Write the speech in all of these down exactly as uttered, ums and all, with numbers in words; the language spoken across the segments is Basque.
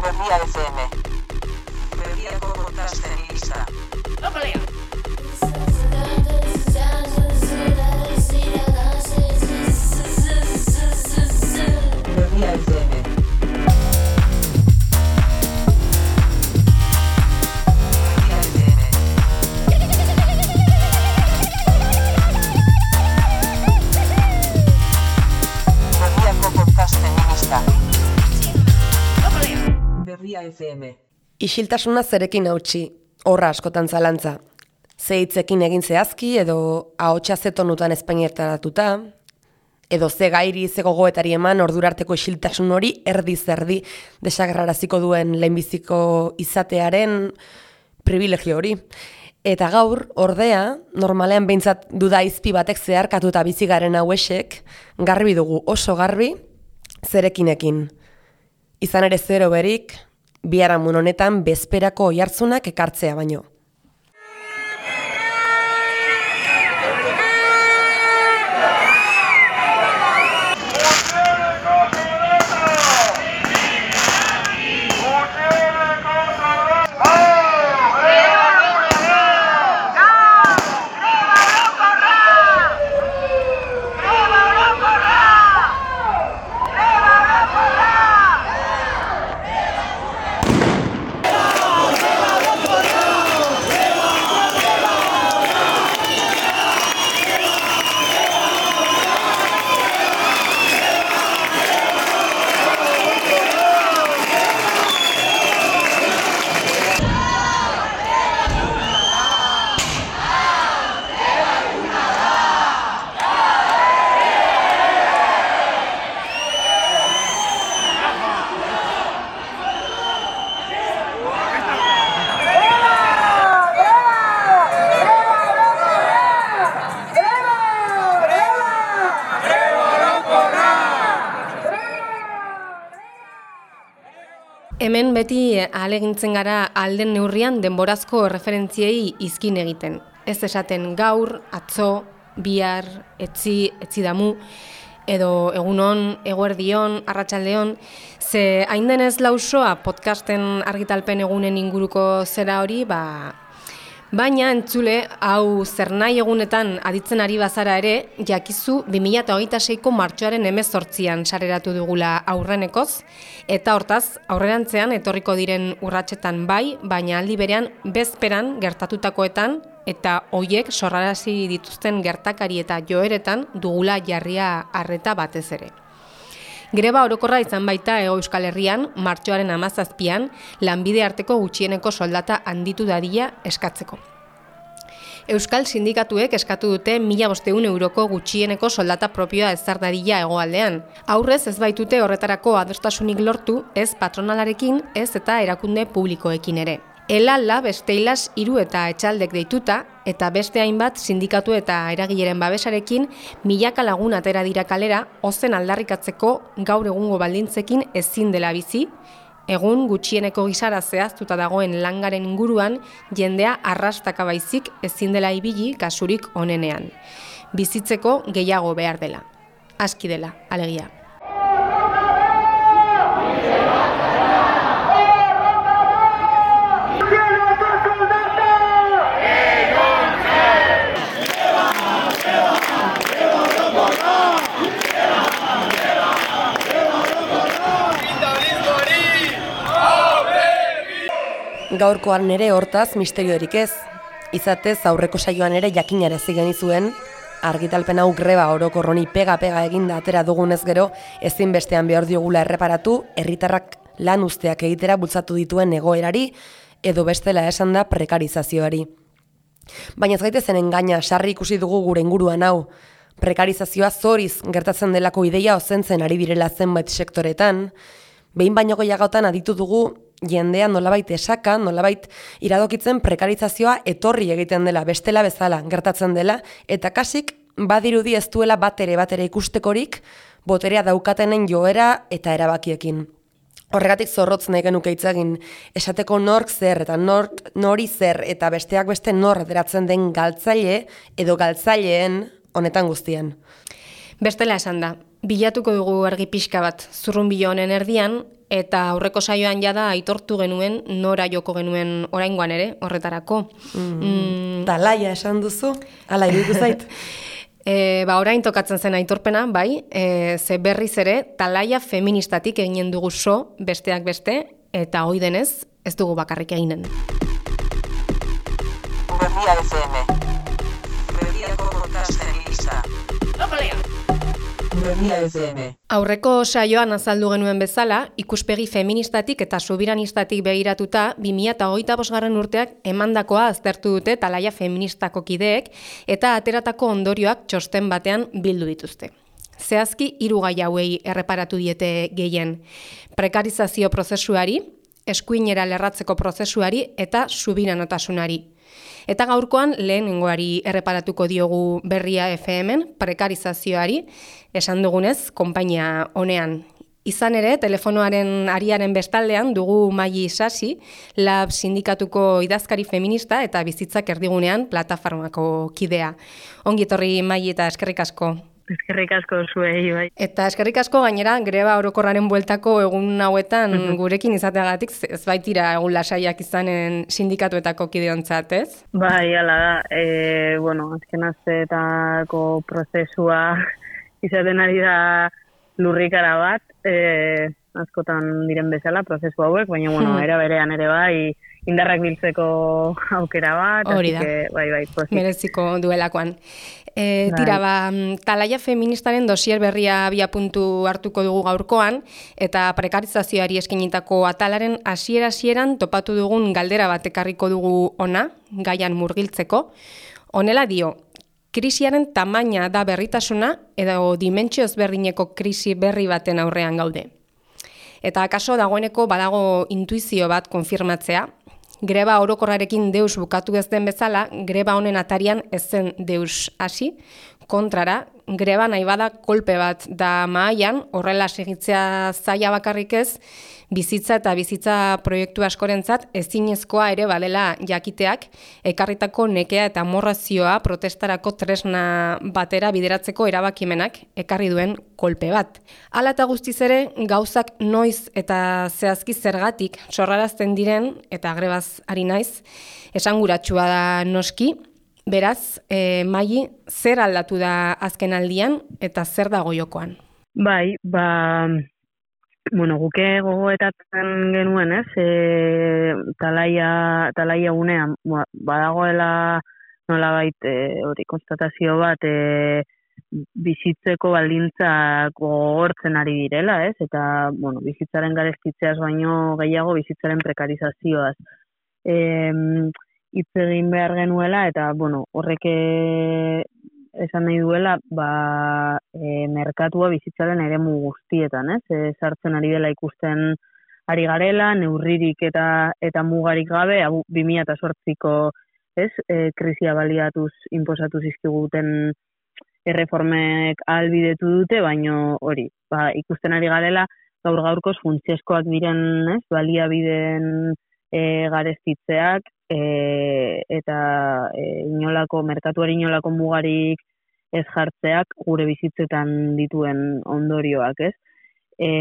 Berria F M. Berriako podcasten lista. Berria F M. Berria F M. Isiltasuna zerekin hautsi, horra askotan zalantza. Ze hitzekin egin zehazki edo ahotsa ze tonutan espainietaratuta, edo ze gairi ze gogoetari eman ordurarteko isiltasun hori erdi zerdi desagerraraziko duen lehenbiziko izatearen privilegio hori. Eta gaur, ordea, normalean behintzat duda izpi batek zeharkatuta bizigaren hauesek, garbi dugu oso garbi zerekinekin. Izan ere zero berik, biharamun honetan bezperako oihartzunak ekartzea baino. Hemen beti ahalegintzen gara alden neurrian denborazko referentziei izkin egiten. Ez esaten gaur, atzo, bihar, etzi, etzi damu, edo egunon, eguerdion, arratsaldeon, ze hain denez lausoa podcasten argitalpen egunen inguruko zera hori, ba, baina entzule, hau zer nahi egunetan aditzen ari bazara ere, jakizu bi mila hogeita seiko martxoaren hemezortzian sareratu dugula aurrenekoz, eta hortaz, aurrerantzean etorriko diren urratsetan bai, baina aldi berean bezperan gertatutakoetan, eta hoiek sorrarazi dituzten gertakari eta joeretan dugula jarria arreta batez ere. Greba orokorra izan baita Hego Euskal Herrian, martxoaren hamazazpian, lanbide arteko gutxieneko soldata handitu dadila eskatzeko. Euskal sindikatuek eskatu dute mila bostehun euroko gutxieneko soldata propioa ezar dadila hegoaldean. Aurrez ez baitute horretarako adostasunik lortu, ez patronalarekin, ez eta erakunde publikoekin ere. Elala besteilas hiru eta etxaldek deituta, eta beste hainbat sindikatu eta eragileren babesarekin milaka lagun atera dira kalera, ozen aldarrikatzeko gaur egungo baldintzekin ezin dela bizi, egun gutxieneko gisara zehaztuta dagoen langaren inguruan jendea arrastaka baizik ezin dela ibili kasurik onenean. Bizitzeko gehiago behar dela. Aski dela, alegia. Gaurkoan ere hortaz misteriorik ez. Izatez aurreko saioan ere jakinarazi genizuen, argitalpen hau greba orokorroni pega-pega eginda atera dugunez gero, ezinbestean behar diogula erreparatu, herritarrak lan usteak egitera bultzatu dituen egoerari, edo bestela esan da prekarizazioari. Baina ez gaitezen engaina, sarri ikusi dugu gure inguruan hau, prekarizazioa zoriz gertatzen delako ideia ozentzen ari direla zenbait sektoretan, behin baino gehiagotan aditu dugu jendea nolabait esaka, nolabait iradokitzen prekarizazioa etorri egiten dela, bestela bezala gertatzen dela, eta kasik badirudi ez duela batere batere ikustekorik boterea daukatenen joera eta erabakiekin. Horregatik zorrotz nahi genuke hitz egin, esateko nork zer eta nork nori zer eta besteak beste nor deratzen den galtzaile edo galtzaileen honetan guztien. Bestela esan da, Bilatuko dugu argi pixka bat, zurrunbilo honen erdian, eta aurreko saioan jada aitortu genuen nora joko genuen oraingoan ere, horretarako. Mm, mm. Talaia esan duzu, ala iruditu zait. E, ba, orain tokatzen zen aitorpena, bai, e, ze berriz ere, talaia feministatik eginen dugu so, besteak beste, eta hoi denez, ez dugu bakarrik eginen. Berria F M. Berriako podcasten lista. Berria F M. Aurreko saioan azaldu genuen bezala, ikuspegi feministatik eta subiranistatik begiratuta, bi mila hogeita bosgarren urteak emandakoa aztertu dute talaia feministako kideek eta ateratako ondorioak txosten batean bildu dituzte. Zehazki hiru gai hauei erreparatu diete gehien: prekarizazio prozesuari, eskuinera lerratzeko prozesuari eta subiranotasunari. Eta gaurkoan lehenengoari erreparatuko diogu Berria F M-en, prekarizazioari, esan dugunez, konpainia honean. Izan ere, telefonoaren ariaren bestaldean dugu Maili Isasi, Lab sindikatuko idazkari feminista eta bizitzak erdigunean plataformako kidea. Ongi etorri Maili eta eskerrik asko. Eskerrik asko zuei, bai. Eta eskerrik asko gainera greba orokorraren bueltako egun hauetan gurekin izateagatik ez baitira egun lasaiak izanen sindikatuetako kideontzat, ez? Bai, hala da. E, bueno, azken asteetako prozesua izaten ari da lurrikara bat, e, askotan diren bezala prozesu hauek, baina bueno, era berean ere bai indarrak biltzeko aukera bat, hori da. Que, bai, bai, pozik. Mereziko duelakoan. E, tira, ba, talaia feministaren dosier berria abia puntu hartuko dugu gaurkoan, eta prekarizazioari eskinitako atalaren hasiera-hasieran topatu dugun galdera bat ekarriko dugu ona, gaian murgiltzeko. Honela dio, krisiaren tamaina da berritasuna edo dimentsio ezberdineko krisi berri baten aurrean gaude. Eta akaso dagoeneko badago intuizio bat konfirmatzea, greba orokorrarekin deus bukatu ez den bezala, greba honen atarian ez zen deus hasi, kontrara, greba nahi bada kolpe bat da mahaian, horrela segitzea zaila bakarrik ez, bizitza eta bizitza proiektu askorentzat ezinezkoa ere badela jakiteak, ekarritako nekea eta amorrazioa protestarako tresna batera bideratzeko erabakimenak ekarri duen kolpe bat. Hala eta guztiz ere, gauzak noiz eta zehazki zergatik sorrarazten diren, eta grebaz ari naiz, esanguratsua da noski. Beraz, e, Maili, zer aldatu da azken aldian eta zer dago jokoan? Bai, ba, bueno, guke gogoetatzen genuen, ez? E, talaia, talaia unean, ba, badagoela nolabait e, hori konstatazio bat e, bizitzeko baldintzak gogortzen ari direla, ez? Eta, bueno, bizitzaren garestitzeaz baino gehiago bizitzaren prekarizazioaz. E, hitz egin behar genuela, eta, bueno, horrek esan nahi duela, ba, e, merkatua bizitzaren eremu guztietan, ez? E, sartzen ari dela ikusten ari garela, neurririk eta eta mugarik gabe, bi mila zortziko, ez? E, krisia baliatuz inposatu zizkiguten erreformek ahalbidetu dute, baino hori, ba, ikusten ari garela, gaur gaurkoz funtsezkoak diren, ez? Baliabideen e, garestitzeak, E, eta e, inolako, merkatuari inolako mugarik ez jartzeak gure bizitzetan dituen ondorioak, ez? E,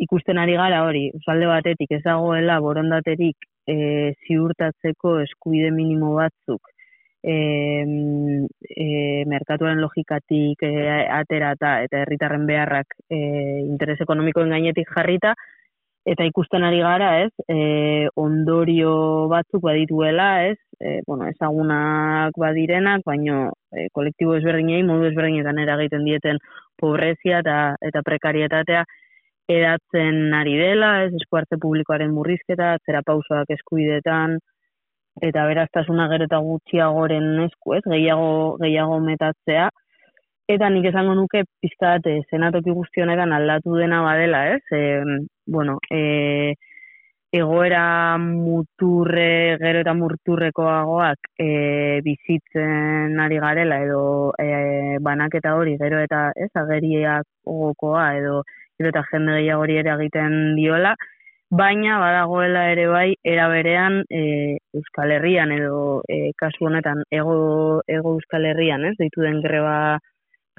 ikusten ari gara hori, usalde batetik ez dagoela borondaterik e, ziurtatzeko eskubide minimo batzuk e, e, merkatuaren logikatik e, aterata eta herritarren beharrak e, interes ekonomikoen gainetik jarrita, eta ikusten ari gara, ez, e, ondorio batzuk badituela, ez, e, bueno, ezagunak badirenak, baino e, kolektibo ezberdinei modu ezberdinetan eragiten dieten pobrezia eta, eta prekarietatea edatzen ari dela, ez, eskuartze publikoaren murrizketa, atzera pausoak eskubidetan, eta beraztasuna gero eta gutxiagoren esku, ez, gehiago, gehiago metatzea. Eta nik esango nuke pizkat e, zenatoki guzti honetan aldatu dena badela, ez? E, bueno, e, egoera muturre, gero eta murturrekoagoak e, bizitzen ari garela, edo e, banaketa hori, gero eta ez, ageriak ogokoa, edo gero eta jende gehiagori ere egiten diola, baina badagoela ere bai, era berean e, Euskal Herrian, edo e, kasu honetan, ego, ego Euskal Herrian, ez? Deitu den greba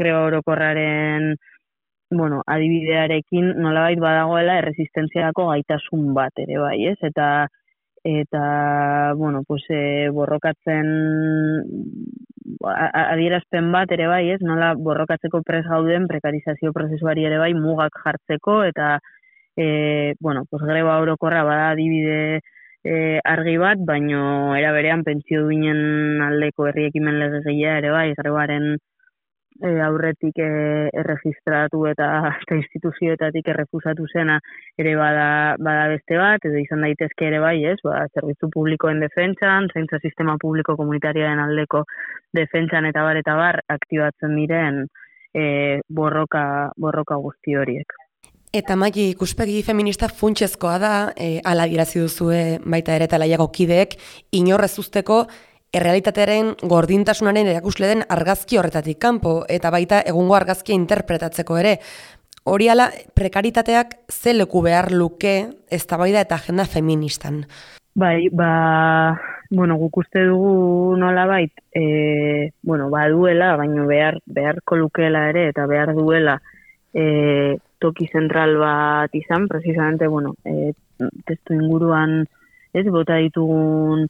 greba orokorraren bueno, adibidearekin nolabait badagoela erresistentziako gaitasun bat ere bai, ez? Eta eta bueno, pues e, borrokatzen adierazpen bat ere bai, ez? Nola borrokatzeko prest gauden prekarizazio prozesuari ere bai mugak jartzeko eta e, bueno, pues greba orokorra bada adibide e, argi bat, baino era berean pentsio duinen aldeko herri ekimen legegilea ere bai, grebaren e, aurretik e, erregistratu eta, eta instituzioetatik errefusatu zena ere bada, bada beste bat, edo izan daitezke ere bai, ez, ba, zerbitzu publikoen defentsan, zaintza sistema publiko komunitarioaren aldeko defentsan eta bar eta bar aktibatzen diren e, borroka, borroka guzti horiek. Eta Maili, ikuspegi feminista funtsezkoa da, e, ala adierazi duzue baita ere talaiako kideek, inorrez usteko errealitatearen gordintasunaren erakusle den argazki horretatik kanpo, eta baita egungo argazkia interpretatzeko ere. Hori ala, prekaritateak ze leku behar luke eztabaida eta agenda feministan? Bai, ba, bueno, guk uste dugu nolabait, e, bueno, baduela, baino behar, beharko lukeela ere, eta behar duela, e, toki zentral bat izan, precisamente, bueno, e, testu inguruan, ez, bota ditugun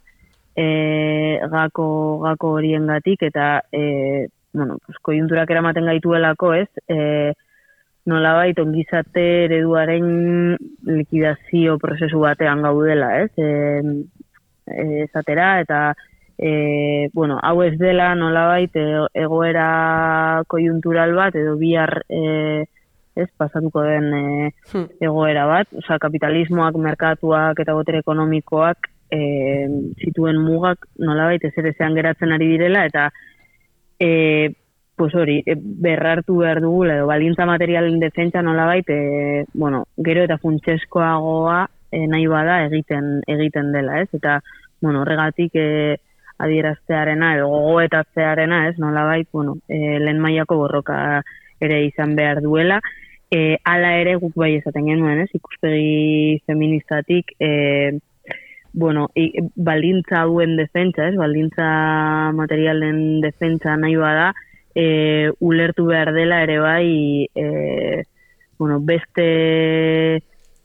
e, gako, gako horiengatik eta, e, bueno, pues, koiunturak eramaten gaituelako, ez, e, nolabait ongizate ereduaren likidazio prozesu batean gaudela, ez, e, e, esatera, eta, e, bueno, hau ez dela nolabait egoera koiuntural bat, edo bihar, e, ez, pasatuko den e, hmm. egoera bat, osea, kapitalismoak, merkatuak eta botere ekonomikoak e, zituen mugak nolabait ezerezean geratzen ari direla, eta e, pues hori, e, berrartu behar dugula, edo balintza materialen defentsa nolabait, e, bueno, gero eta funtsezkoagoa e, nahi bada egiten egiten dela, ez, eta, bueno, horregatik e, adieraztearena, edo gogoetatzearena, ez, nolabait, bueno, e, lehen mailako borroka ere izan behar duela, e, ala ere guk bai esaten genuen, ez, ikuspegi feministatik, e, bueno, i, baldintza hauen defentsa, ez, baldintza materialen defentsa nahi bada, e, ulertu behar dela ere bai, e, bueno, beste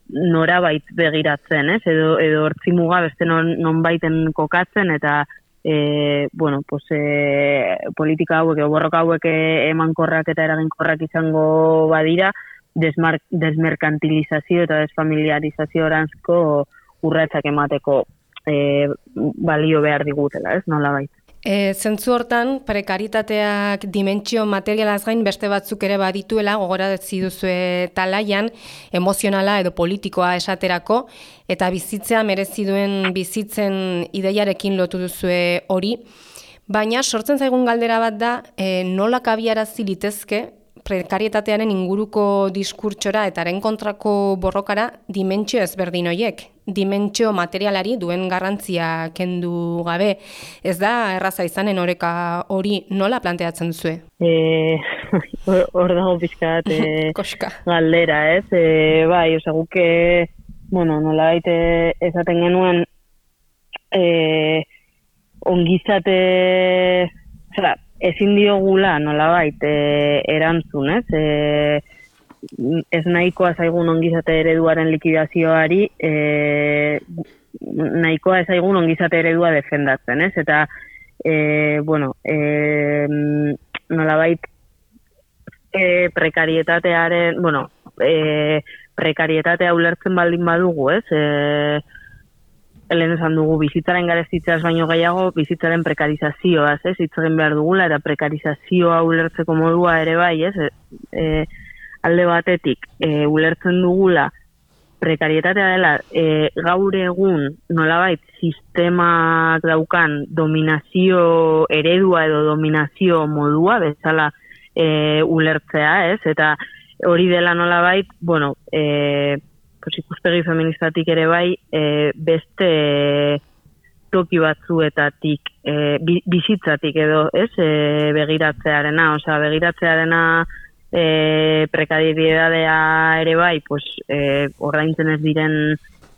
norabait begiratzen, ez, edo, edo hortzimuga beste non, non baiten kokatzen, eta E, bueno, pues, e, politika hauek, borroka hauek emankorrak eta eraginkorrak izango badira, desmar, desmerkantilizazio eta desfamiliarizazio oranzko urratsak emateko e, balio behar digutela, ez, nolabait. E, zentzu hortan, prekaritateak dimentsio materialaz gain beste batzuk ere badituela, gogorazi duzue talaian, emozionala edo politikoa esaterako, eta bizitzea merezi duen bizitzen ideiarekin lotu duzue hori. Baina sortzen zaigun galdera bat da, e, nola kabiarazi litezke prekarietatearen inguruko diskurtsora eta haren kontrako borrokara dimentsio ezberdin horiek. Dimentsio materialari duen garrantzia kendu gabe. Ez da erraza izanen oreka hori nola planteatzen duzue? E, hor dago pixkat e, galdera, ez? E, bai, oza, guke, bueno, nola baite esaten genuen e, ongizate, oza, ezin diogula nolabait e, erantzun, ez? E, ez nahikoa zaigun ongizate ereduaren likidazioari, e, nahikoa ez zaigun ongizate eredua defendatzen, ez? Eta, e, bueno, e, nolabait e, prekarietatearen, bueno, e, prekarietatea ulertzen baldin badugu, ez? E, Helen esan dugu, bizitzaren garestitzeaz baino gehiago, bizitzaren prekarizazioaz, ez, hitz egin behar dugula, eta prekarizazioa ulertzeko modua ere bai, ez, e, alde batetik, e, ulertzen dugula, prekarietatea dela, e, gaur egun, nolabait, sistemak daukan dominazio eredua edo dominazio modua, bezala e, ulertzea, ez, eta hori dela nolabait, bueno, e, pues ikuspegi feministatik ere bai, e, beste toki batzuetatik, e, bizitzatik edo, ez, e, begiratzearena, osea, begiratzearena e, prekariedadea ere bai, pues, e, ordaintzen ez diren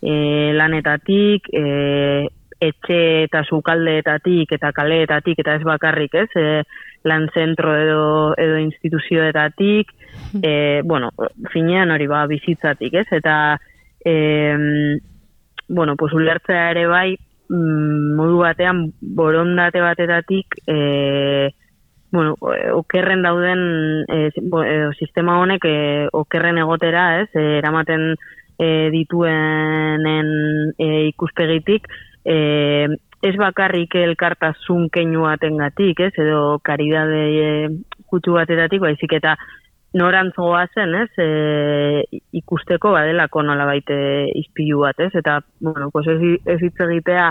e, lanetatik, e, etxe eta sukaldeetatik eta kaleetatik eta ez bakarrik, ez? E, lan zentro edo, edo instituzioetatik, e, bueno, finean hori ba, bizitzatik, ez? Eta, e, bueno, pues ulertzea ere bai, mm, modu batean, borondate batetatik, e, bueno, okerren dauden, e, sistema honek e, okerren egotera, ez? E, eramaten e, dituenen e, ikuspegitik, e, ez bakarrik elkartasun keinu batengatik, ez, edo karidade e, kutsu batetatik, baizik eta norantzoa zen, ez, e, ikusteko badelako nolabait izpilu bat, ez, eta, bueno, pues ez, ez hitz egitea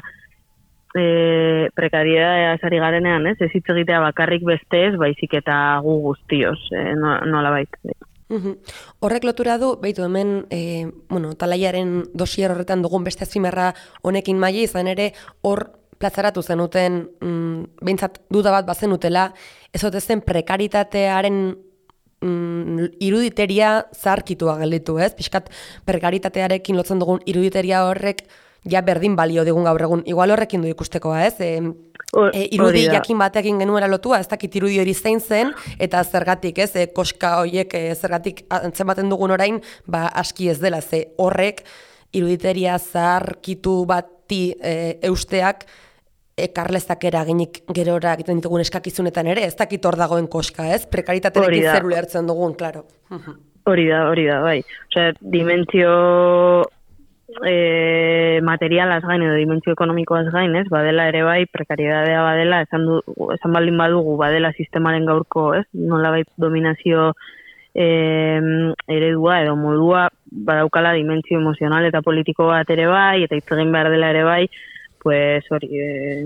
e, prekariedadea esari garenean, ez, ez hitz egitea bakarrik beste ez, baizik eta gu guztioz, e, nolabait. Uhum. Horrek lotura du, behitu hemen, e, bueno, talaiaren dosier horretan dugun beste azpimarra honekin maila izan ere, hor plazaratu zenuten, mm, behintzat duda bat bazenutela, ez ote zen prekaritatearen mm, iruditeria zaharkitua gelditu, ez? Piskat prekaritatearekin lotzen dugun iruditeria horrek ja berdin balio digun gaur egun. Igual horrekin du ikustekoa, ez? E, e, irudi jakin batekin genuela lotua, ez dakit irudi hori zein zen, eta zergatik, ez? E, koska horiek e, zergatik antzematen dugun orain, ba aski ez dela, ze horrek iruditeria zaharkitu bati e, eusteak ekarlezak eraginik gerora egiten ditugun eskakizunetan ere, ez dakit hor dagoen koska, ez? Prekaritaterekin zer ulertzen dugun, klaro. Hori da, hori da, bai. Osea, dimentsio e, materialaz gain edo dimentsio ekonomikoaz gain, ez? Badela ere bai, prekariedadea badela, esan, du, esan baldin badugu, badela sistemaren gaurko, ez? Nolabait dominazio e, eredua edo modua, badaukala dimentsio emozional eta politiko bat ere bai, eta hitz egin behar dela ere bai, pues hori, eh,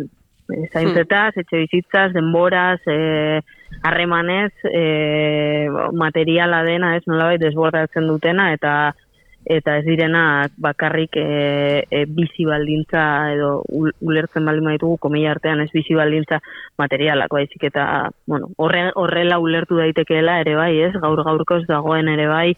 zaintzetaz, etxe bizitzaz, denboraz, eh, harremanez, eh, materiala dena, ez nolabait desbordatzen dutena, eta eta ez direnak bakarrik e, e, bizi baldintza edo ulertzen baldin baditugu komilla artean ez bizi baldintza materialak, baizik eta bueno, horre, horrela ulertu daitekeela ere bai, ez? Gaur gaurkoz dagoen ere bai,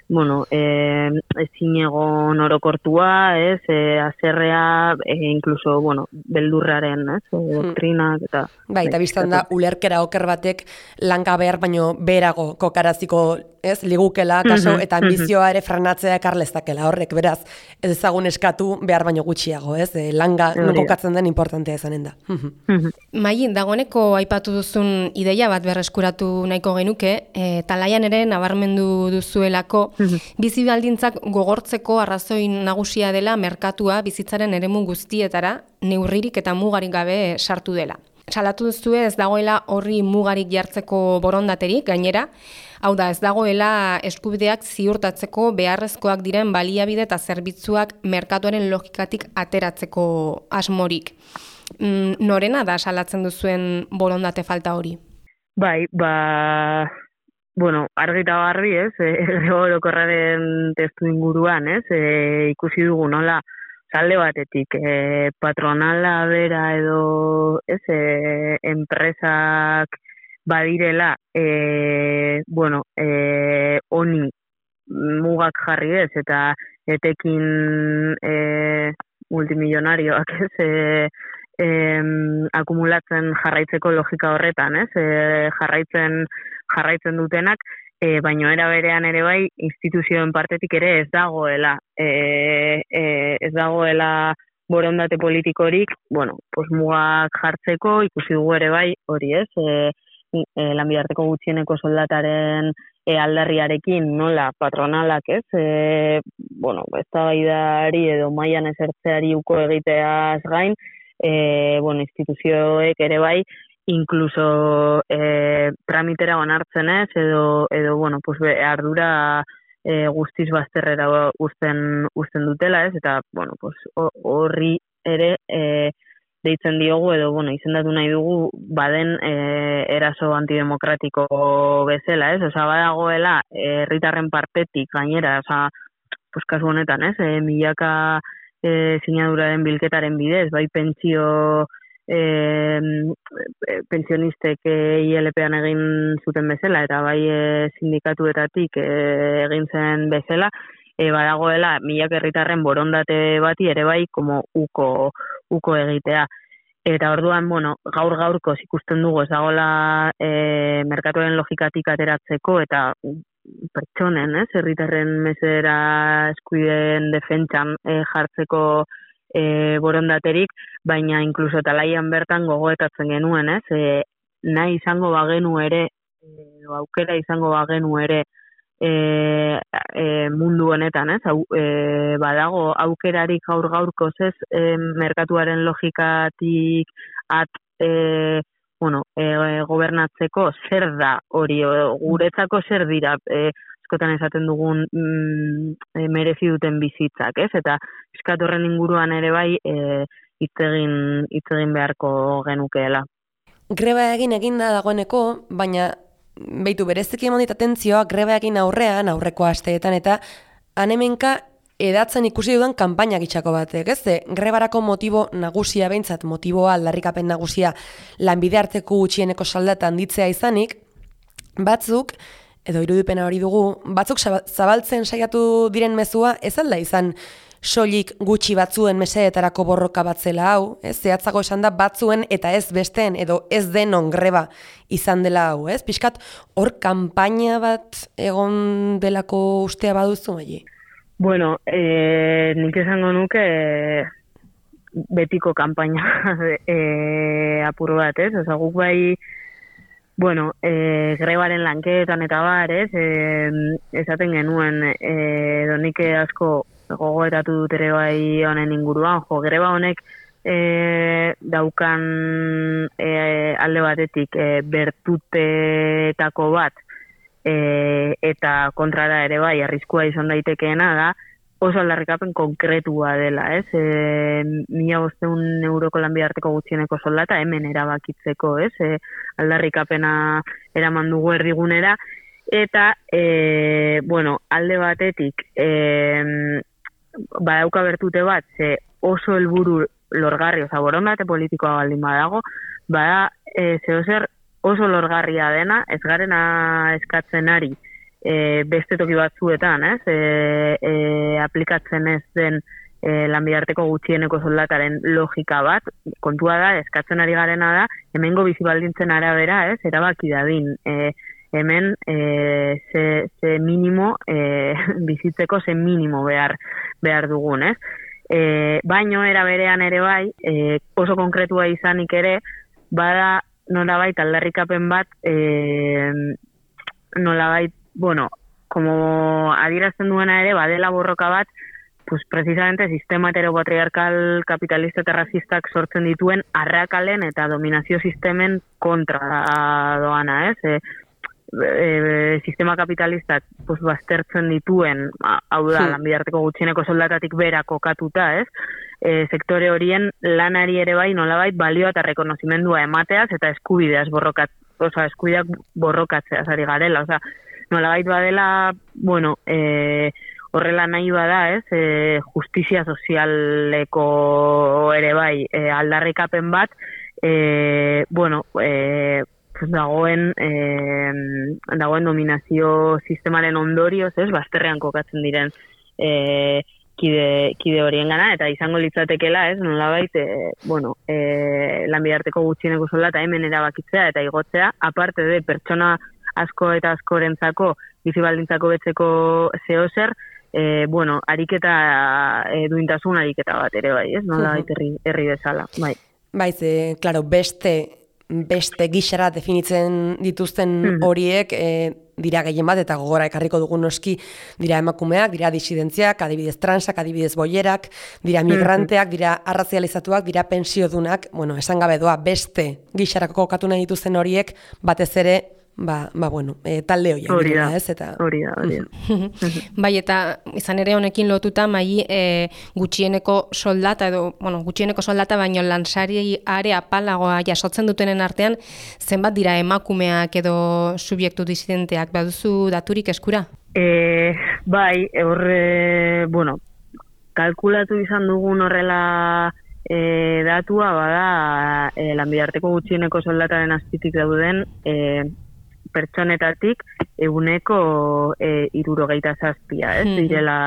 bueno, eh ezinegon orokortua, ez? Eh haserrea, e, incluso, bueno, beldurraren, ez? E, doktrinak eta bai, eta biztan da ulerkera oker batek langabear baino berago kokaraziko, ez? Ligukela kaso eta ambizioa ere frenatzea ekar lezakela. Horrek beraz, ez ezagun eskatu behar baino gutxiago, ez? E, langa non kokatzen den importantea izanen da. Mai, dagoeneko aipatu duzun ideia bat berreskuratu nahiko genuke, e, talaian ere nabarmendu duzuelako bizi baldintzak gogortzeko arrazoi nagusia dela merkatua bizitzaren eremu guztietara neurririk eta mugarik gabe sartu dela. Salatu duzue ez dagoela horri mugarik jartzeko borondaterik gainera, hau da ez dagoela eskubideak ziurtatzeko beharrezkoak diren baliabide eta zerbitzuak merkatuaren logikatik ateratzeko asmorik. Mm, norena da salatzen duzuen borondate falta hori? Bai, ba... Bueno, argi eta garbi, ez, e, orokorraren testu inguruan, ez, e, ikusi dugu nola, alde batetik, e, patronala bera edo, ez, e, enpresak badirela, e, bueno, e, honi mugak jarri ez, eta etekin e, multimilionarioak, ez, e, e, akumulatzen jarraitzeko logika horretan, ez, e, jarraitzen jarraitzen dutenak, e, baino era berean ere bai instituzioen partetik ere ez dagoela e, e, ez dagoela borondate politikorik, bueno, pues mugak jartzeko, ikusi dugu ere bai, hori ez, e, e, lanbidarteko gutxieneko soldataren e, aldarriarekin nola patronalak ez, e, bueno, eztabaidari edo mailan esertzeari uko egiteaz gain, e, bueno, instituzioek ere bai, incluso eh, tramitera onartzen ez, edo, edo bueno, pues, be, ardura eh, guztiz bazterrera uzten, uzten dutela ez, eta bueno, pues, horri ere eh, deitzen diogu, edo bueno, izendatu nahi dugu baden eh, eraso antidemokratiko bezala ez, oza, badagoela herritarren eh, partetik gainera, oza, pues, kasu honetan ez, eh, milaka eh, sinaduraren bilketaren bidez, bai pentsio E, pensionistek I L P-an egin zuten bezala eta bai e, sindikatuetatik e, egin zen bezala, e, badagoela milak herritarren borondate bati ere bai como uko, uko egitea. Eta orduan, bueno, gaur gaurko ikusten dugu ez dagoela e, merkatuaren logikatik ateratzeko eta pertsonen, ez, herritarren mesedera eskubideen defentsan e, jartzeko e, borondaterik, baina inkluso talaian bertan gogoetatzen genuen, ez, e, nahi izango bagenu ere, e, aukera izango bagenu ere, E, e, mundu honetan, ez? Hau, e, badago aukerarik gaur gaurkoz ez e, merkatuaren logikatik at e, bueno, e, gobernatzeko zer da hori, guretzako zer dira e, eskotan esaten dugun mm, e, merezi duten bizitzak, ez? Eta eskatorren inguruan ere bai e, hitzegin hitzegin beharko genukeela. Greba egin eginda dagoeneko, baina beitu bereziki eman dit atentzioa greba egin aurrean, aurreko asteetan, eta hanemenka edatzen ikusi dudan kanpaina gitxako batek, ez? Grebarako motibo nagusia behintzat, motiboa aldarrikapen nagusia lanbide arteko gutxieneko soldata handitzea izanik, batzuk, edo irudipena hori dugu, batzuk zabaltzen saiatu diren mezua ez alda izan soilik gutxi batzuen mesedetarako borroka batzela hau, ez? Zehatzago esan da batzuen eta ez besteen edo ez denon greba izan dela hau, ez? Pixkat hor kanpaina bat egon delako ustea baduzu, Maili? Bueno, e, nik esango nuke e, betiko kanpaina e, apur bat, ez? Osa, guk bai, bueno, e, grebaren lanketan eta bar, ez? E, esaten genuen, e, donik asko gogoetatu dut ere bai honen inguruan, jo, greba honek e, daukan e, alde batetik e, bertutetako bat e, eta kontrara ere bai arriskua izan daitekeena da oso aldarrikapen konkretua dela, ez? E, mila bosteun euroko lanbide arteko gutxieneko soldata hemen erabakitzeko, ez? E, aldarrikapena eraman dugu erdigunera eta e, bueno, alde batetik e, badauka bertute bat, ze oso helburu lorgarri, oza, borondate politikoa baldin badago, bada, e, zehozer oso lorgarria dena, ez garena eskatzen ari e, beste toki batzuetan, ez, e, e, aplikatzen ez den e, lanbide arteko gutxieneko soldataren logika bat, kontua da, eskatzen ari garena da, hemengo bizi baldintzen arabera, ez, erabaki dadin, e, hemen e, ze, ze minimo e, bizitzeko ze minimo behar behar dugun, ez? E, baino era berean ere bai, e, oso konkretua izanik ere, bada nolabait aldarrikapen bat, e, nolabait, bueno, como adierazten duena ere, badela borroka bat, pues precisamente sistema heteropatriarkal kapitalista eta racistak sortzen dituen arrakalen eta dominazio sistemen kontra doana, ez? E, E, sistema kapitalistak pues, baztertzen dituen, hau da, sí. Lanbide arteko gutxieneko soldatatik bera kokatuta, ez? E, sektore horien lanari ere bai nolabait balioa eta rekonozimendua emateaz eta eskubideaz borrokat, oza, eskubideak borrokatzeaz ari garela, oza, nolabait badela, bueno, e, horrela nahi bada, ez? E, justizia sozialeko ere bai e, aldarrikapen bat, e, bueno, e, dagoen eh, dagoen dominazio sistemaren ondorioz, ez, bazterrean kokatzen diren eh, kide, kide horien gana, eta izango litzatekela, ez, nolabait, eh, bueno, eh, lanbide arteko gutxieneko soldata hemen erabakitzea eta igotzea, aparte de pertsona asko eta askorentzako bizi baldintzako betzeko zehozer, eh, bueno, ariketa eh, duintasun ariketa bat ere bai, ez, nolabait herri, herri bezala, bai. Bai, ze, claro, beste beste gixara definitzen dituzten horiek e, dira gehien bat, eta gogora ekarriko dugun noski dira emakumeak, dira disidentziak, adibidez transak, adibidez boierak, dira migranteak, dira arrazializatuak, dira pensiodunak, bueno, esan gabe doa beste gixarako kokatu nahi dituzten horiek batez ere, ba, ba bueno, e, talde horiek. Hori da, ez, eta... hori da, hori da. Bai, eta izan ere honekin lotuta, Maili, e, gutxieneko soldata, edo, bueno, gutxieneko soldata, baino lansari are apalagoa jasotzen dutenen artean, zenbat dira emakumeak edo subjektu disidenteak, baduzu daturik eskura? E, bai, horre, bueno, kalkulatu izan dugun horrela e, datua, bada, e, lanbide arteko gutxieneko soldataren azpitik dauden, e, pertsonetatik eguneko e, irurogeita zazpia, ez? Mm. Direla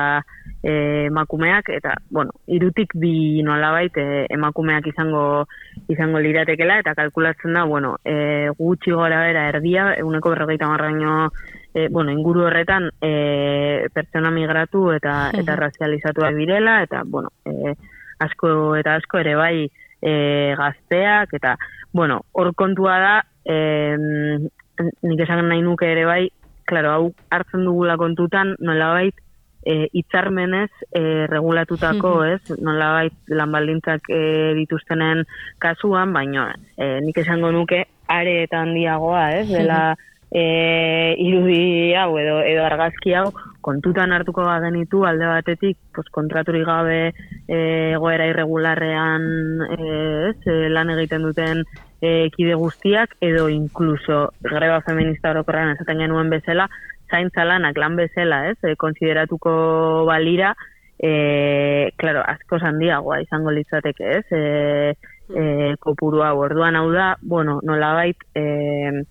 e, emakumeak, eta, bueno, irutik bi nolabait e, emakumeak izango izango liratekela, eta kalkulatzen da, bueno, e, gutxi gora bera erdia, eguneko berrogeita marraino, e, bueno, inguru horretan e, pertsona migratu eta, eta razializatuak direla, eta, bueno, e, asko eta asko ere bai e, gazteak, eta, bueno, hor kontua da, e, nik esan nahi nuke ere bai, klaro, hau hartzen dugula kontutan, nolabait, e, itzarmenez e, regulatutako, ez? Nolabait lan baldintzak e, dituztenen kasuan, baina e, nik esango nuke are eta handiagoa, ez? Dela e, irudi hau edo, edo argazki hau kontutan hartuko bagenitu alde batetik, pues, kontraturik gabe e, egoera irregularrean e, ez, e, lan egiten duten e, kide guztiak, edo inkluso greba feminista orokorrean esaten genuen bezala, zaintza lanak lan bezala, ez, e, konsideratuko balira, e, claro, asko handiagoa izango litzateke, ez, e, e, kopuru hau, orduan hau da, bueno, nolabait, e,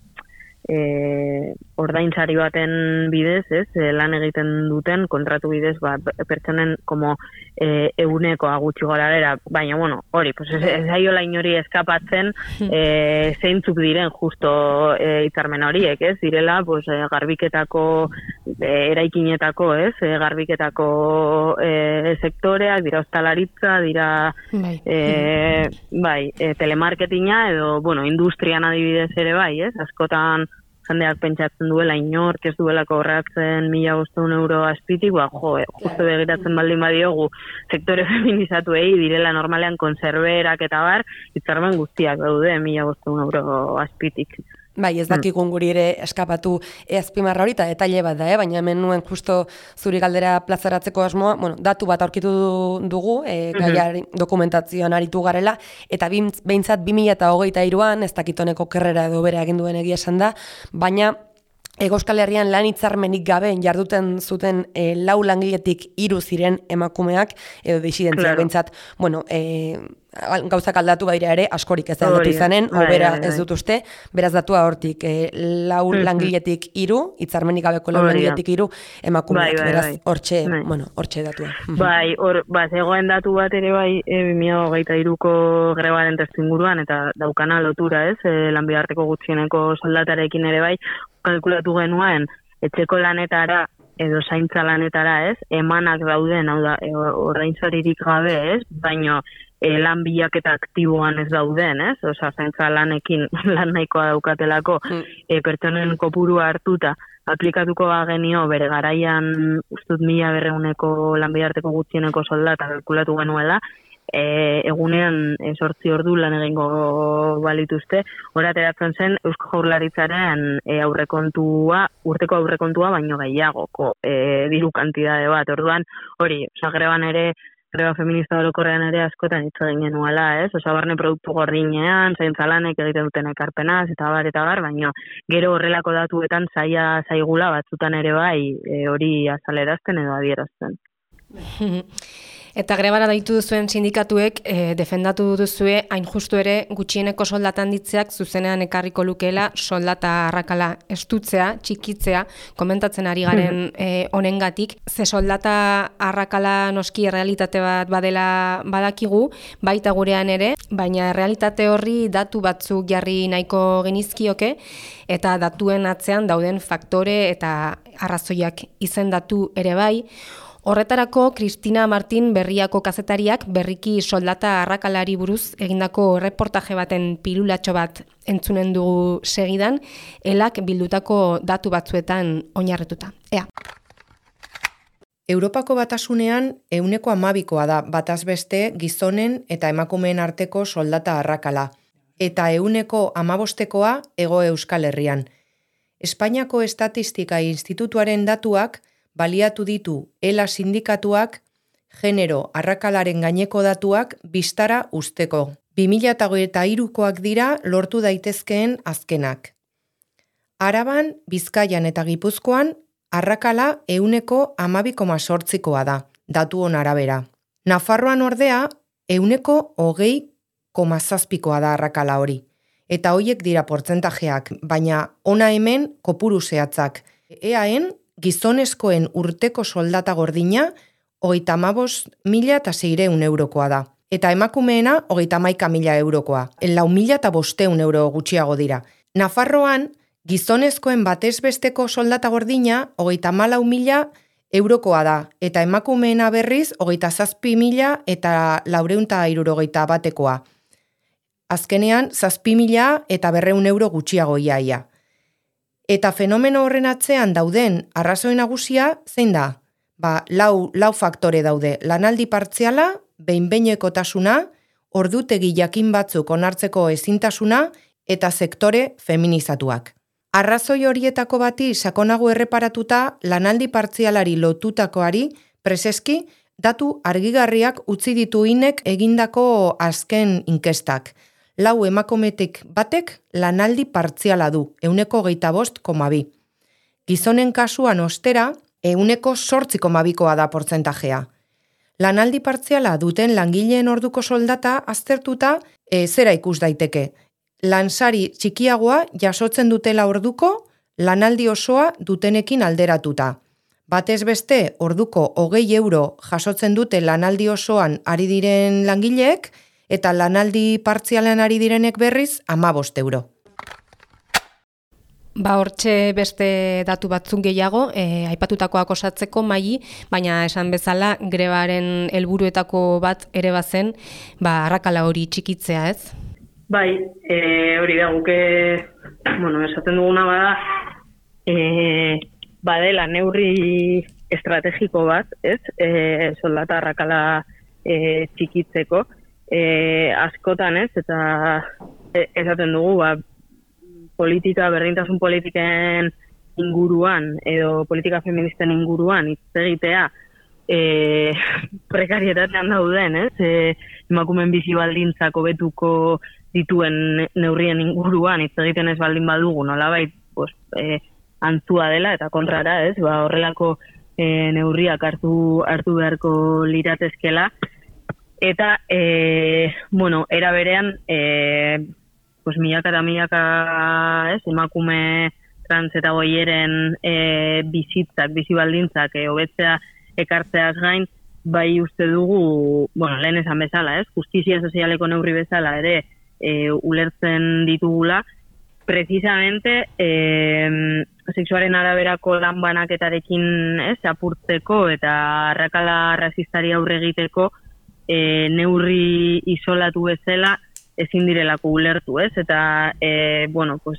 e, ordaintzari baten bidez, ez, e, lan egiten duten kontratu bidez, ba, pertsonen como e, egunekoa gutxi gora bera, baina, bueno, hori, pues ez, ez aiola inori eskapatzen e, zeintzuk diren justo e, hitzarmen horiek, ez, direla, pues, e, garbiketako, e, eraikinetako, ez, e, garbiketako e, sektoreak, dira ostalaritza, dira bai, e, bai e, telemarketinga, edo, bueno, industrian adibidez ere bai, ez, askotan jendeak pentsatzen duela inork ez duela kobratzen mila bostehun euro azpitik, ba, jo, justo begiratzen baldin badiogu sektore feminizatuei direla normalean konserberak eta bar, hitzarmen guztiak daude mila bostehun euro azpitik. Bai, ez dakigun guri ere eskapatu azpimarra hori, eta detaile bat da, eh? Baina hemen nuen justo zuri galdera plazaratzeko asmoa, bueno, datu bat aurkitu dugu, e, gaiari dokumentazioan aritu garela, eta behintzat bi mila hogeita hiruan, ez dakitoneko kerrera edo bere egin duen egia esan da, baina Hego Euskal Herrian lan hitzarmenik gabe jarduten zuten e, lau langiletik hiru ziren emakumeak, edo disidentzia claro. Behintzat, bueno, e, gauzak aldatu badira ere, askorik ez da aldatu izanen, obera ez dut uste, beraz datua hortik, e, lau mm-hmm. langiletik hiru, hitzarmenik gabeko lau langiletik hiru emakumeak, bai, bai, beraz hortxe, bai. Bueno, hortxe datua. Bai, hor, ba, zegoen datu bat ere bai, e, bi mila hogeita hiruko grebaren testuinguruan, eta daukana lotura, ez, e, lanbidarteko gutxieneko soldatarekin ere bai, kalkulatu genuen, etxeko lanetara edo zaintza lanetara, ez, emanak dauden, hau da, ordaintzaririk gabe, ez, baino e, lan bilaketa aktiboan ez dauden, ez, oza, zaintza lanekin lan nahikoa daukatelako, mm. e, pertsonen kopurua hartuta, aplikatuko bagenio bere garaian ustut mila berreuneko lanbidarteko gutxieneko soldata kalkulatu genuela, E, egunean e, sortzi ordu lan egingo balituzte, horateratzen zen Eusko Jaurlaritzaren e, aurrekontua, urteko aurrekontua baino gehiagoko e, diru kantidade bat, orduan hori, oza, greban ere, greba feminista orokorrean ere askotan hitz egin genuela, ez? Oza, barne produktu gordinean, zaintza lanek egiten duten ekarpenaz, eta bar, eta bar, baino gero horrelako datuetan zaila zaigula batzutan ere bai e, hori azalerazten edo adierazten. Eta grebara daitu duzuen sindikatuek e, defendatu duzue hain justu ere gutxieneko soldata handitzeak zuzenean ekarriko lukeela soldata arrakala estutzea, txikitzea, komentatzen ari garen e, honengatik. Ze soldata arrakala noski errealitate bat badela badakigu, baita gurean ere, baina errealitate horri datu batzuk jarri nahiko genizkioke, eta datuen atzean dauden faktore eta arrazoiak izendatu ere bai. Horretarako, Kristina Martin Berriako kazetariak berriki soldata arrakalari buruz egindako reportaje baten pilulatxo bat entzunen dugu segidan, elak bildutako datu batzuetan oinarrituta. Ea. Europako batasunean ehuneko hamabikoa da bataz beste gizonen eta emakumeen arteko soldata arrakala, eta ehuneko hamabostekoa Hego Euskal Herrian. Espainiako Estatistika Institutuaren datuak baliatu ditu ELA sindikatuak genero arrakalaren gaineko datuak bistara usteko. bi mila hogeita hirukoak dira lortu daitezkeen azkenak. Araban, Bizkaian eta Gipuzkoan arrakala ehuneko hamabi koma zortzikoa da, datuon arabera. Nafarroan ordea ehuneko hogei koma zazpikoa da arrakala hori. Eta hoiek dira portzentajeak, baina ona hemen kopuru zehatzak. Eaen, gizonezkoen urteko soldata gordina, hogeita hamabost mila eta seiehun eurokoa da. Eta emakumeena, hogeita hamaika mila eurokoa. Lau mila eta bosteun euro gutxiago dira. Nafarroan, gizonezkoen batez besteko soldata gordina, hogeita hamalau mila eurokoa da. Eta emakumeena berriz, hogeita zazpi mila eta laureunta hirurogeita batekoa. Azkenean, zazpi mila eta berreun euro gutxiago iaia. Eta fenomeno horren atzean dauden arrazoi nagusia zein da? Ba, lau, lau faktore daude. Lanaldi partziala, behin-behinekotasuna, ordutegi jakin batzuk onartzeko ezintasuna eta sektore feminizatuak. Arrazoi horietako bati sakonago erreparatuta lanaldi partzialari lotutakoari preseski datu argigarriak utzi ditu inek egindako azken inkestak. Lau emakumetik batek lanaldi partziala du, euneko geita bost koma bi. Gizonen kasuan ostera, euneko sortzi koma bikoa da portzentajea. Lanaldi partziala duten langileen orduko soldata aztertuta e, zera ikus daiteke. Lansari txikiagoa jasotzen dutela orduko, lanaldi osoa dutenekin alderatuta. Batez beste orduko hogei euro jasotzen dute lanaldi osoan ari diren langileek, eta lanaldi partzialean ari direnek berriz hamabost euro. Ba, hortxe beste datu batzuk gehiago, e, aipatutakoak osatzeko maili, baina esan bezala grebaren helburuetako bat ere bazen, ba, arrakala hori txikitzea, ez? Bai, e, hori da, guke, bueno, esaten duguna bada, e, badela neurri estrategiko bat, ez? E, soldata arrakala e, txikitzeko, e, askotan, ez? Eta e, esaten dugu, ba, politika, berdintasun politiken inguruan edo politika feministen inguruan hitz egitea e, prekarietatean dauden, ez? E, emakumeen bizi baldintzak hobetuko dituen neurrien inguruan hitz egiten ez baldin badugu, nolabait, pues, e, antzua dela eta kontrara, ez? Ba, horrelako e, neurriak hartu hartu beharko liratezkela eta e, bueno, era berean e, pues milaka eta milaka, ez, emakume trans eta goieren e, bizitzak, bizi baldintzak e, hobetzea ekartzeaz gain, bai uste dugu, bueno, lehen esan bezala, ez, justizia sozialeko neurri bezala ere e, ulertzen ditugula, precisamente e, sexuaren araberako lan banaketarekin, ez, apurtzeko eta arrakala rasistari aurre egiteko e, neurri isolatu bezala ezin direlako ulertu, ez? Eta, e, bueno, pues,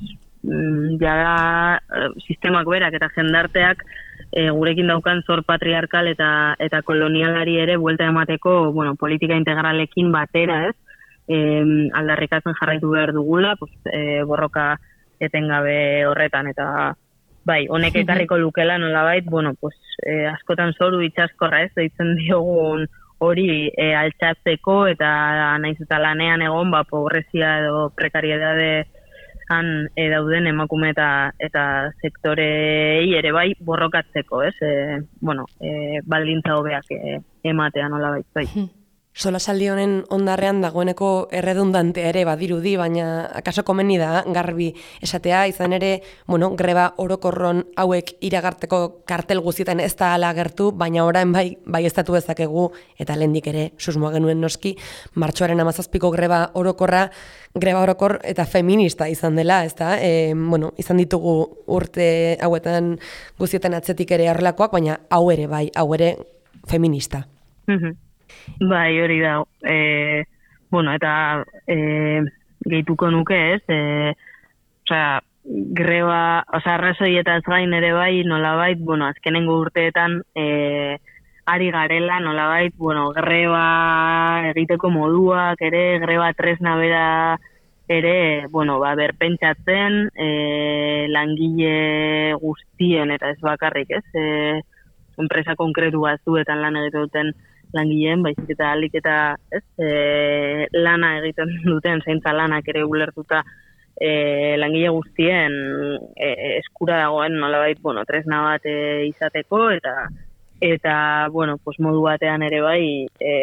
ja sistemak berak eta jendarteak e, gurekin daukan zor patriarkal eta eta kolonialari ere buelta emateko, bueno, politika integralekin batera, ez? E, aldarrikatzen jarraitu behar dugula, pues, e, borroka etengabe horretan, eta bai, honek ekarriko lukela nolabait, bueno, pues, e, askotan zoru itxaskorra, ez? Deitzen diogun hori e, altxatzeko eta naiz eta lanean egon, ba, pobrezia edo prekariedadean e, dauden emakume eta, eta sektorei ere bai borrokatzeko, ez? E, bueno, e, baldintza hobeak e, ematea nolabait, bai. Solasaldi honen ondarrean dagoeneko erredundantea ere badirudi, baina akaso komeni da garbi esatea, izan ere, bueno, greba orokorron hauek iragarteko kartel guztietan ez da ala agertu, baina orain bai, bai estatu dezakegu, eta lehendik ere susmoa genuen noski, martxoaren hamazazpiko greba orokorra, greba orokor eta feminista izan dela, ez da? E, bueno, izan ditugu urte hauetan guztietan atzetik ere horrelakoak, baina hau ere bai, hau ere feminista. Mhm. Bai, hori da, e, bueno, eta e, gehituko nuke, ez, e, osea, greba, osea, arrazoietaz gain ere bai, nolabait, bueno, azkenengo urteetan e, ari garela, nolabait, bueno, greba egiteko moduak ere, greba tresna bera ere, bueno, ba, berpentsatzen, e, langile guztien, eta ez bakarrik, ez, e, enpresa konkretu batzuetan lan egiten duten langileen, baizik eta alik eta ez, e, lana egiten duten, zaintza lanak ere ulertuta e, langile guztien e, eskura dagoen nolabait, bueno, tresna bat e, izateko, eta eta, bueno, pues modu batean ere bai e,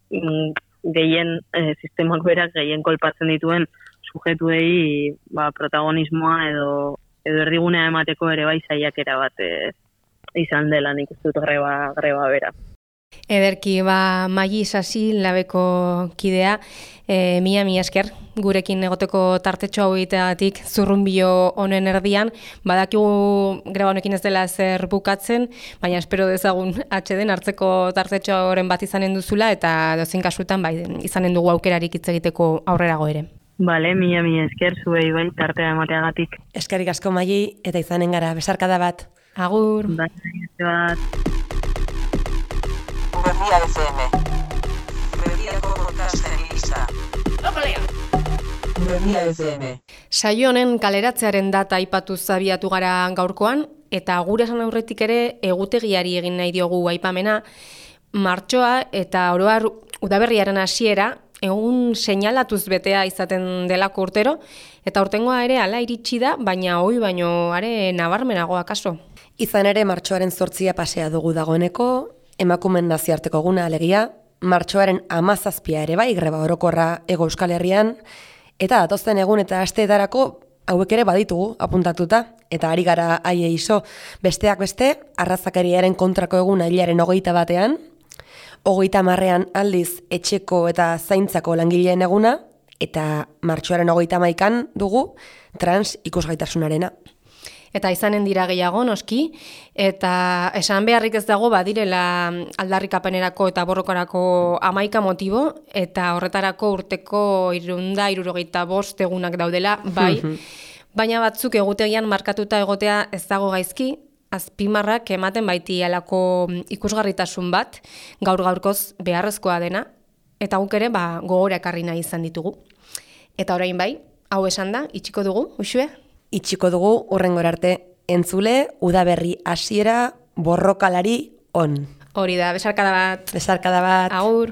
gehien, e, sistemak berak gehien kolpatzen dituen sujetuei ba, protagonismoa edo edo erdigunea emateko ere bai saiakera bat e, izan dela nik uste dut greba, greba bera. Ederki, ba, Maili Sasi labeko kidea, e, mila mila esker gurekin egoteko tartetxo hau egiteagatik zurrunbilo honen erdian, badakigu greba honekin ez dela zer bukatzen, baina espero dezagun atxeden hartzeko tartetxo horren bat izanen duzula, eta dozein kasutan bai, izanen dugu aukerarik hitz egiteko aurrerago ere. Bale, mila mila esker zuei bai tartea emateagatik. Eskerrik asko Maili, eta izanen gara, besarkada bat. Agur. Bai, bat. Berria F M. Berriako podcasten lista. Berria F M. Saio honen kaleratzearen data aipatu zabiatu gara gaurkoan, eta gure esan aurretik ere egutegiari egin nahi diogu aipamena, martxoa eta oroar udaberriaren hasiera egun seinalatuz betea izaten delako urtero, eta urtengoa ere hala iritsi da, baina hoi baino are nabarmenagoa kaso. Izan ere martxoaren zortzia pasea dugu dagoeneko, emakumen nazioarteko eguna alegia, martxoaren hamazazpia ere bai greba orokorra Hego Euskal Herrian, eta datozen egun eta asteetarako hauek ere baditugu apuntatuta, eta ari gara haiei iso, besteak beste, arrazakeriaren kontrako eguna hilaren hogeita batean, hogeita marrean aldiz etxeko eta zaintzako langileen eguna, eta martxoaren hogeita maikan dugu trans ikusgaitasunarena. Eta izanen dira gehiago, noski, eta esan beharrik ez dago badirela aldarrikapenerako eta borrokarako hamaika motibo, eta horretarako urteko irunda, irurogeita bost egunak daudela, bai, baina batzuk egutegian markatuta egotea ez dago gaizki, azpimarrak ematen baiti alako ikusgarritasun bat, gaur gaurkoz beharrezkoa dena, eta guk ere ba, gogora ekarri nahi izan ditugu. Eta orain bai, hau esan da, itxiko dugu, Uxue? Itxiko dugu urrengora arte entzule, udaberri hasiera borrokalari on. Hori da, besarkada bat. Besarkada bat. Agur.